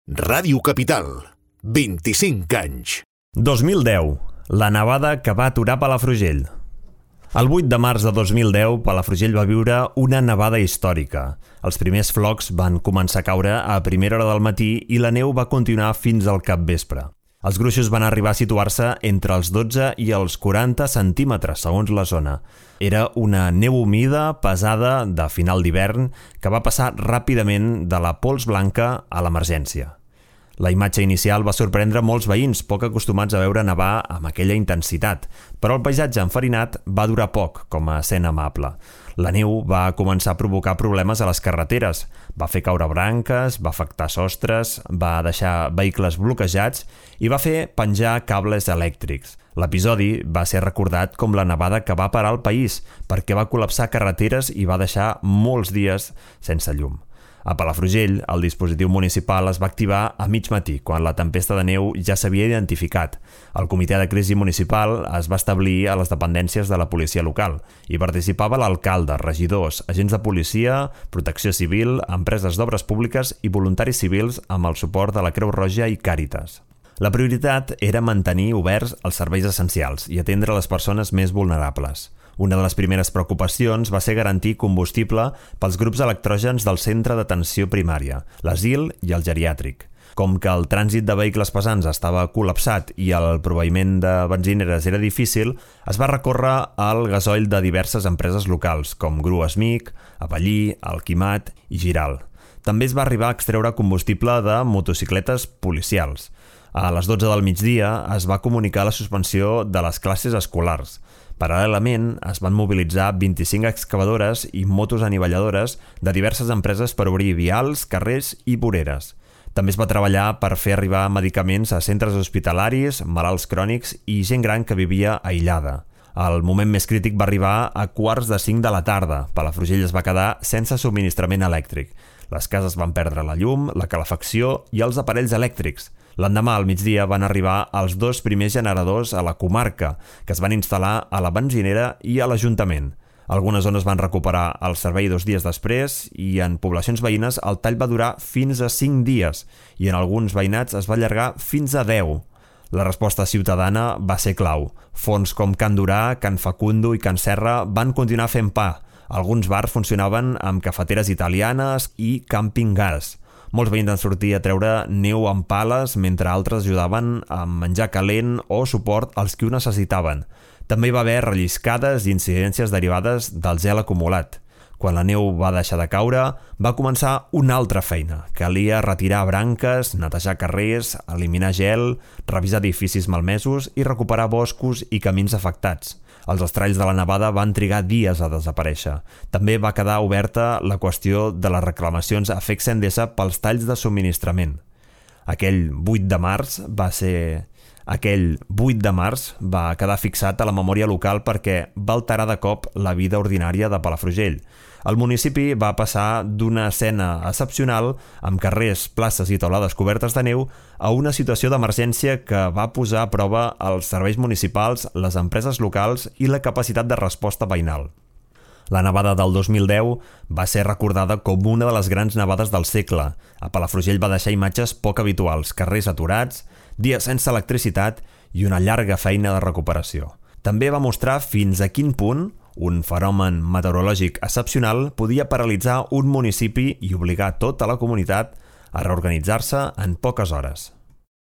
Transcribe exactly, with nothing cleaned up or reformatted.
Ràdio Capital, vint-i-cinc anys. dos mil deu, la nevada que va aturar Palafrugell. El vuit de març de dos mil deu, Palafrugell va viure una nevada històrica. Els primers flocs van començar a caure a primera hora del matí i la neu va continuar fins al capvespre. Els gruixos van arribar a situar-se entre els dotze i els quaranta centímetres, segons la zona. Era una neu humida, pesada, de final d'hivern, que va passar ràpidament de la pols blanca a l'emergència. La imatge inicial va sorprendre molts veïns, poc acostumats a veure nevar amb aquella intensitat, però el paisatge enfarinat va durar poc com a escena amable. La neu va començar a provocar problemes a les carreteres, va fer caure branques, va afectar sostres, va deixar vehicles bloquejats i va fer penjar cables elèctrics. L'episodi va ser recordat com la nevada que va parar el país, perquè va col·lapsar carreteres i va deixar molts dies sense llum. A Palafrugell, el dispositiu municipal es va activar a mig matí, quan la tempesta de neu ja s'havia identificat. El comitè de crisi municipal es va establir a les dependències de la policia local. Hi participava l'alcalde, regidors, agents de policia, protecció civil, empreses d'obres públiques i voluntaris civils amb el suport de la Creu Roja i Càritas. La prioritat era mantenir oberts els serveis essencials i atendre les persones més vulnerables. Una de les primeres preocupacions va ser garantir combustible pels grups electrògens del centre d'atenció primària, l'asil i el geriàtric. Com que el trànsit de vehicles pesants estava col·lapsat i el proveïment de benzineres era difícil, es va recórrer al gasoil de diverses empreses locals, com Grues Mic, Avellí, Alquimat i Giral. També es va arribar a extreure combustible de motocicletes policials. A les dotze del migdia es va comunicar la suspensió de les classes escolars. Paral·lelament, es van mobilitzar vint-i-cinc excavadores i motos anivelladores de diverses empreses per obrir vials, carrers i voreres. També es va treballar per fer arribar medicaments a centres hospitalaris, malalts crònics i gent gran que vivia aïllada. El moment més crític va arribar a quarts de cinc de la tarda. Palafrugell es va quedar sense subministrament elèctric. Les cases van perdre la llum, la calefacció i els aparells elèctrics. L'endemà, al migdia, van arribar els dos primers generadors a la comarca, que es van instal·lar a la benzinera i a l'Ajuntament. Algunes zones van recuperar el servei dos dies després i en poblacions veïnes el tall va durar fins a cinc dies i en alguns veïnats es va allargar fins a deu. La resposta ciutadana va ser clau. Fons com Can Durà, Can Facundo i Can Serra van continuar fent pa. Alguns bars funcionaven amb cafeteres italianes i càmping gas. Molts veïns van sortir a treure neu amb pales, mentre altres ajudaven a menjar calent o suport als que ho necessitaven. També hi va haver relliscades i incidències derivades del gel acumulat. Quan la neu va deixar de caure, va començar una altra feina. Calia retirar branques, netejar carrers, eliminar gel, revisar edificis malmesos i recuperar boscos i camins afectats. Els estralls de la nevada van trigar dies a desaparèixer. També va quedar oberta la qüestió de les reclamacions a F E C Endesa pels talls de subministrament. Aquell vuit de març va ser... Aquell vuit de març va quedar fixat a la memòria local perquè va alterar de cop la vida ordinària de Palafrugell. El municipi va passar d'una escena excepcional, amb carrers, places i taulades cobertes de neu, a una situació d'emergència que va posar a prova els serveis municipals, les empreses locals i la capacitat de resposta veïnal. La nevada del dos mil deu va ser recordada com una de les grans nevades del segle. A Palafrugell va deixar imatges poc habituals, carrers aturats, dies sense electricitat i una llarga feina de recuperació. També va mostrar fins a quin punt un fenomen meteorològic excepcional podia paralitzar un municipi i obligar tota la comunitat a reorganitzar-se en poques hores.